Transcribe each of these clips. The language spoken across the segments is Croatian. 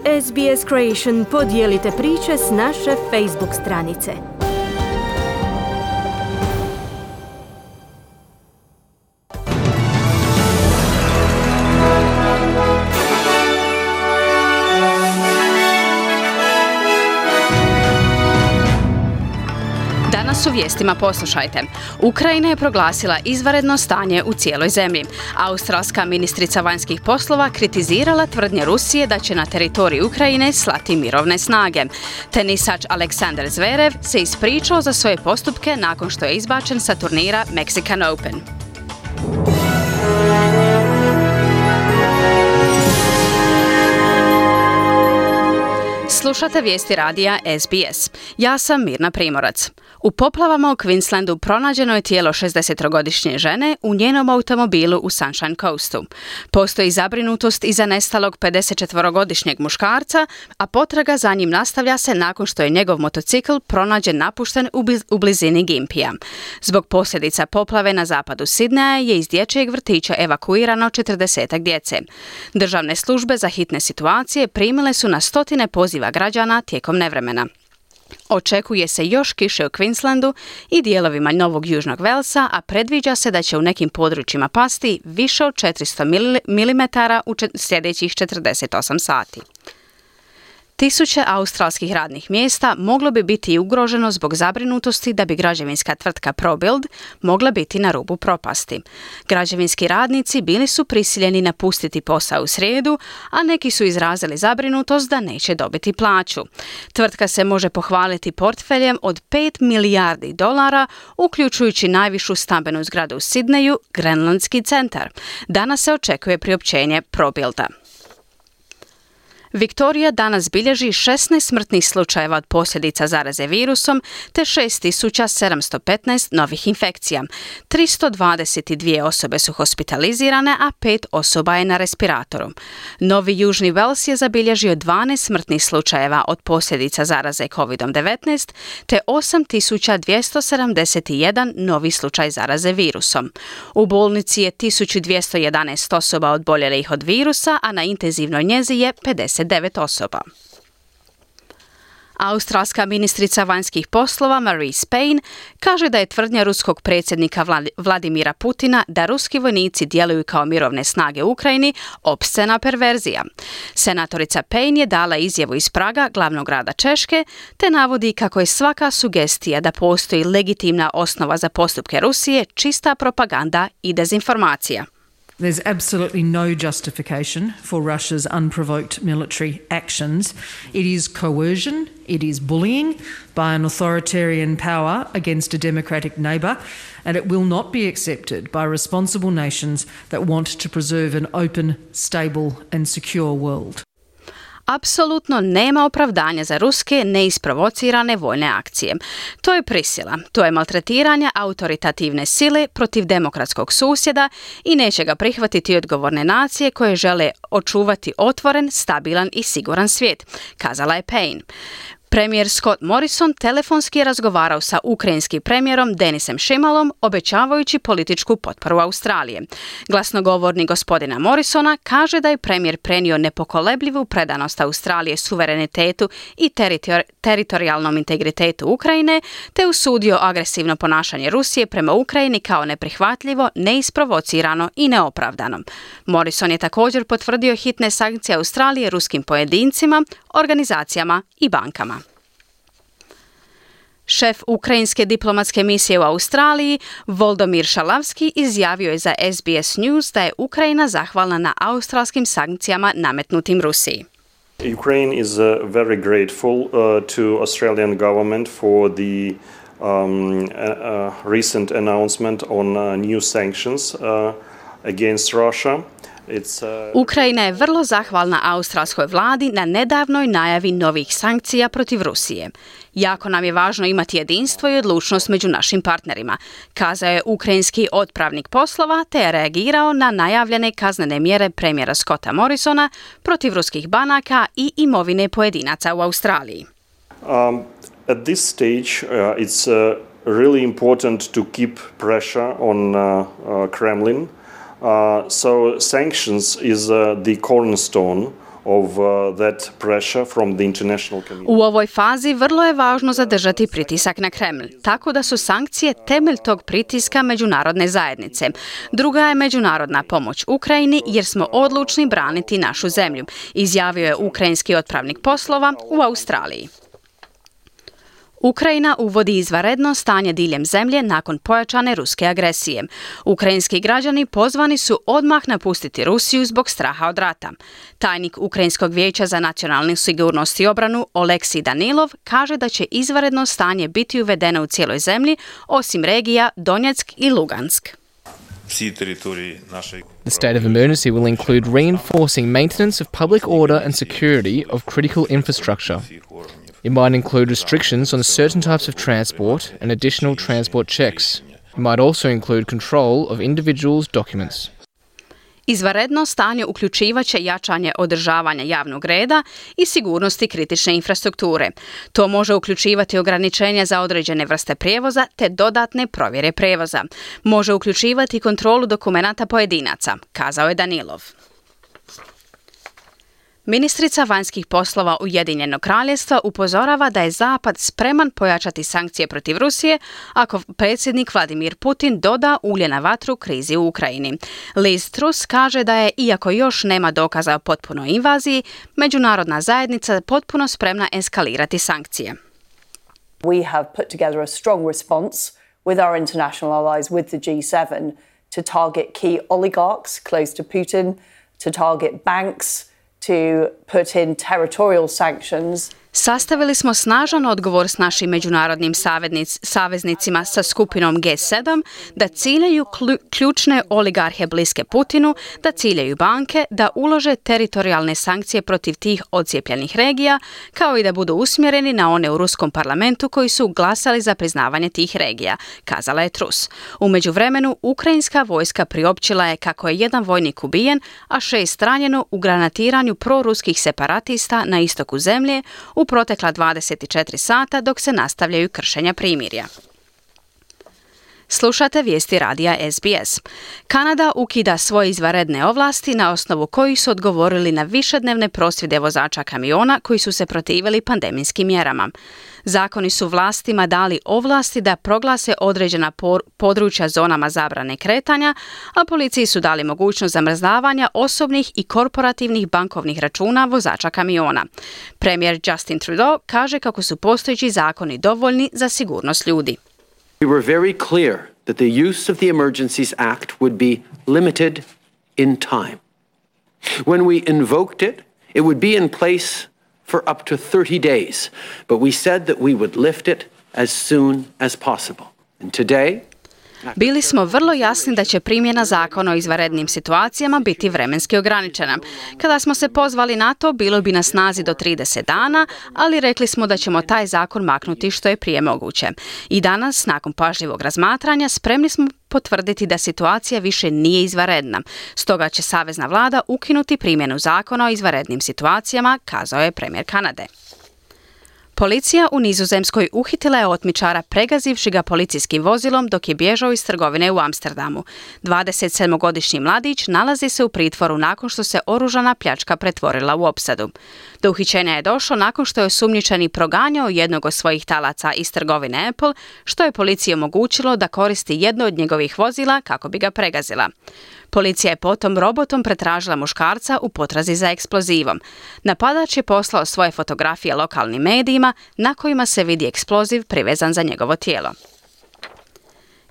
SBS Creation podijelite priče s naše Facebook stranice. Danas u vijestima poslušajte. Ukrajina je proglasila izvanredno stanje u cijeloj zemlji. Australska ministrica vanjskih poslova kritizirala tvrdnje Rusije da će na teritorij Ukrajine slati mirovne snage. Tenisač Aleksandar Zverev se ispričao za svoje postupke nakon što je izbačen sa turnira Mexican Open. Slušate vijesti radija SBS. Ja sam Mirna Primorac. U poplavama u Queenslandu pronađeno je tijelo 60-godišnje žene u njenom automobilu u Sunshine Coastu. Postoji zabrinutost iza nestalog 54-godišnjeg muškarca, a potraga za njim nastavlja se nakon što je njegov motocikl pronađen napušten u blizini Gympija. Zbog posljedica poplave na zapadu Sidneja je iz dječjeg vrtića evakuirano 40 djece. Državne službe za hitne situacije primile su na stotine poziva građana tijekom nevremena. Očekuje se još kiše u Queenslandu i dijelovima Novog Južnog Velsa, a predviđa se da će u nekim područjima pasti više od 400 mm u sljedećih 48 sati. Tisuće australskih radnih mjesta moglo bi biti ugroženo zbog zabrinutosti da bi građevinska tvrtka ProBuild mogla biti na rubu propasti. Građevinski radnici bili su prisiljeni napustiti posao u srijedu, a neki su izrazili zabrinutost da neće dobiti plaću. Tvrtka se može pohvaliti portfeljem od $5 milijardi, uključujući najvišu stambenu zgradu u Sidneju, Grenlandski centar. Danas se očekuje priopćenje ProBuilda. Viktorija danas bilježi 16 smrtnih slučajeva od posljedica zaraze virusom te 6715 novih infekcija. 322 osobe su hospitalizirane, a 5 osoba je na respiratoru. Novi Južni Vels je zabilježio 12 smrtnih slučajeva od posljedica zaraze COVID-19 te 8271 novi slučaj zaraze virusom. U bolnici je 1211 osoba oboljelih od virusa, a na intenzivnoj njezi je 59 osoba. Australska ministrica vanjskih poslova Marise Payne kaže da je tvrdnja ruskog predsjednika Vladimira Putina da ruski vojnici djeluju kao mirovne snage u Ukrajini opscena perverzija. Senatorica Payne je dala izjavu iz Praga, glavnog grada Češke, te navodi kako je svaka sugestija da postoji legitimna osnova za postupke Rusije čista propaganda i dezinformacija. There's absolutely no justification for Russia's unprovoked military actions. It is coercion, it is bullying by an authoritarian power against a democratic neighbour, and it will not be accepted by responsible nations that want to preserve an open, stable and secure world. Apsolutno nema opravdanja za ruske neisprovocirane vojne akcije. To je prisila, to je maltretiranje autoritativne sile protiv demokratskog susjeda i neće ga prihvatiti odgovorne nacije koje žele očuvati otvoren, stabilan i siguran svijet, kazala je Payne. Premijer Scott Morrison telefonski je razgovarao sa ukrajinskim premijerom Denisem Šimalom, obećavajući političku potporu Australije. Glasnogovornik gospodina Morrisona kaže da je premijer prenio nepokolebljivu predanost Australije suverenitetu i teritorijalnom integritetu Ukrajine, te usudio agresivno ponašanje Rusije prema Ukrajini kao neprihvatljivo, neisprovocirano i neopravdano. Morrison je također potvrdio hitne sankcije Australije ruskim pojedincima, organizacijama i bankama. Šef ukrajinske diplomatske misije u Australiji, Volodymyr Šalavski, izjavio je za SBS News da je Ukrajina zahvalna na australskim sankcijama nametnutim Rusiji. Ukraine is very grateful to Australian government for the recent announcement on new sanctions against Russia. Ukrajina je vrlo zahvalna australskoj vladi na nedavnoj najavi novih sankcija protiv Rusije. Jako nam je važno imati jedinstvo i odlučnost među našim partnerima, kazao je ukrajinski otpravnik poslova, te je reagirao na najavljene kaznene mjere premijera Scotta Morrisona protiv ruskih banaka i imovine pojedinaca u Australiji. At this stage it's really important to keep pressure on Kremlin. So sanctions is the cornerstone of that pressure from the international community. U ovoj fazi vrlo je važno zadržati pritisak na Kreml, tako da su sankcije temelj tog pritiska međunarodne zajednice. Druga je međunarodna pomoć Ukrajini jer smo odlučni braniti našu zemlju, izjavio je ukrajinski otpravnik poslova u Australiji. Ukrajina uvodi izvanredno stanje diljem zemlje nakon pojačane ruske agresije. Ukrajinski građani pozvani su odmah napustiti Rusiju zbog straha od rata. Tajnik Ukrajinskog vijeća za nacionalnu sigurnost i obranu Oleksij Danilov kaže da će izvanredno stanje biti uvedeno u cijeloj zemlji, osim regija Donjeck i Lugansk. The state of emergency will include reinforcing maintenance of public order and security of critical infrastructure. It might include restrictions on certain types of transport and additional transport checks. It might also include control of individuals' documents. Izvanredno stanje uključivaće jačanje održavanja javnog reda i sigurnosti kritične infrastrukture. To može uključivati ograničenja za određene vrste prijevoza te dodatne provjere prijevoza. Može uključivati kontrolu dokumenata pojedinaca, kazao je Danilov. Ministrica vanjskih poslova Ujedinjenog kraljevstva upozorava da je Zapad spreman pojačati sankcije protiv Rusije ako predsjednik Vladimir Putin doda ulje na vatru krizi u Ukrajini. Liz Truss kaže da je, iako još nema dokaza o potpunoj invaziji, međunarodna zajednica potpuno spremna eskalirati sankcije. We have put together a strong response with our international allies, with the G7, to target key oligarchs close to Putin, to target banks, to put in territorial sanctions. Sastavili smo snažan odgovor s našim međunarodnim saveznicima sa skupinom G7 da ciljaju ključne oligarhe bliske Putinu, da ciljaju banke, da ulože teritorijalne sankcije protiv tih odcijepljenih regija, kao i da budu usmjereni na one u Ruskom parlamentu koji su glasali za priznavanje tih regija, kazala je Truss. U međuvremenu, ukrajinska vojska priopćila je kako je jedan vojnik ubijen, a 6 ranjeno u granatiranju proruskih separatista na istoku zemlje u protekla 24 sata dok se nastavljaju kršenja primirja. Slušate vijesti radija SBS. Kanada ukida svoje izvanredne ovlasti na osnovu kojih su odgovorili na višednevne prosvjede vozača kamiona koji su se protivili pandemijskim mjerama. Zakoni su vlastima dali ovlasti da proglase određena područja zonama zabrane kretanja, a policiji su dali mogućnost zamrzavanja osobnih i korporativnih bankovnih računa vozača kamiona. Premijer Justin Trudeau kaže kako su postojeći zakoni dovoljni za sigurnost ljudi. We were very clear that the use of the Emergencies Act would be limited in time. When we invoked it, it would be in place for up to 30 days, but we said that we would lift it as soon as possible. And today, bili smo vrlo jasni da će primjena zakona o izvanrednim situacijama biti vremenski ograničena. Kada smo se pozvali na to, bilo bi na snazi do 30 dana, ali rekli smo da ćemo taj zakon maknuti što je prije moguće. I danas, nakon pažljivog razmatranja, spremni smo potvrditi da situacija više nije izvanredna. Stoga će savezna vlada ukinuti primjenu zakona o izvanrednim situacijama, kazao je premijer Kanade. Policija u Nizozemskoj uhitila je otmičara pregazivši ga policijskim vozilom dok je bježao iz trgovine u Amsterdamu. 27-godišnji mladić nalazi se u pritvoru nakon što se oružana pljačka pretvorila u opsadu. Do uhićenja je došlo nakon što je osumnjičeni proganjao jednog od svojih talaca iz trgovine Apple, što je policiji omogućilo da koristi jedno od njegovih vozila kako bi ga pregazila. Policija je potom robotom pretražila muškarca u potrazi za eksplozivom. Napadač je poslao svoje fotografije lokalnim medijima na kojima se vidi eksploziv privezan za njegovo tijelo.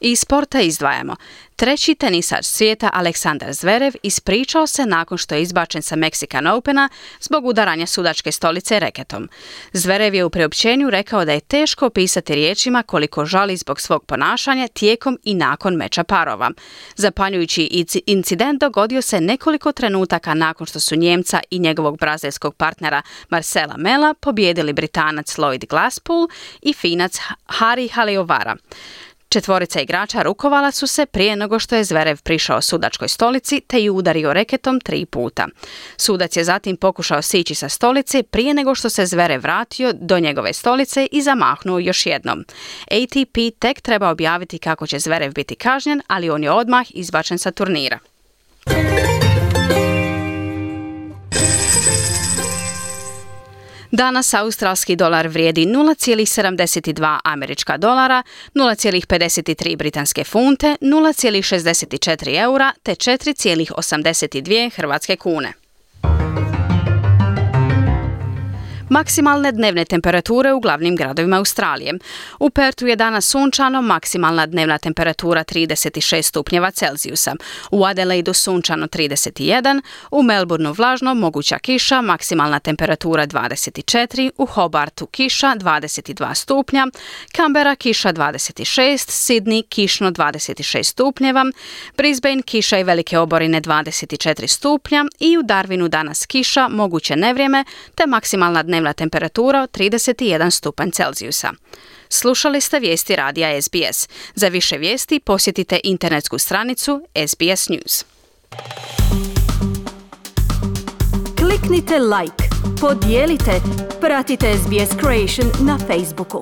Iz sporta izdvajamo. Treći tenisač svijeta Aleksandar Zverev ispričao se nakon što je izbačen sa Mexican Opena zbog udaranja sudačke stolice reketom. Zverev je u priopćenju rekao da je teško opisati riječima koliko žali zbog svog ponašanja tijekom i nakon meča parova. Zapanjujući incident dogodio se nekoliko trenutaka nakon što su Njemca i njegovog brazilskog partnera Marcela Mela pobijedili Britanac Lloyd Glasspool i Finac Hari Haliovara. Četvorica igrača rukovala su se prije nego što je Zverev prišao sudačkoj stolici te ju udario reketom 3 puta. Sudac je zatim pokušao sići sa stolice prije nego što se Zverev vratio do njegove stolice i zamahnuo još jednom. ATP tek treba objaviti kako će Zverev biti kažnjen, ali on je odmah izbačen sa turnira. Danas australski dolar vrijedi 0,72 američka dolara, 0,53 britanske funte, 0,64 eura te 4,82 hrvatske kune. Maksimalne dnevne temperature u glavnim gradovima Australije. U Pertu je danas sunčano, maksimalna dnevna temperatura 36 stupnjeva Celzijusa. U Adelaidu sunčano 31, u Melbourneu vlažno, moguća kiša, maksimalna temperatura 24, u Hobartu kiša 22 stupnja, Canberra kiša 26, Sydney kišno 26 stupnjeva, Brisbane kiša i velike oborine 24 stupnja i u Darwinu danas kiša, moguće nevrijeme te maksimalna dnevna temperatura od 31 stupanj Celzijusa. Slušali ste vijesti radija SBS. Za više vijesti posjetite internetsku stranicu SBS News. Kliknite like, podijelite, pratite SBS Creation na Facebooku.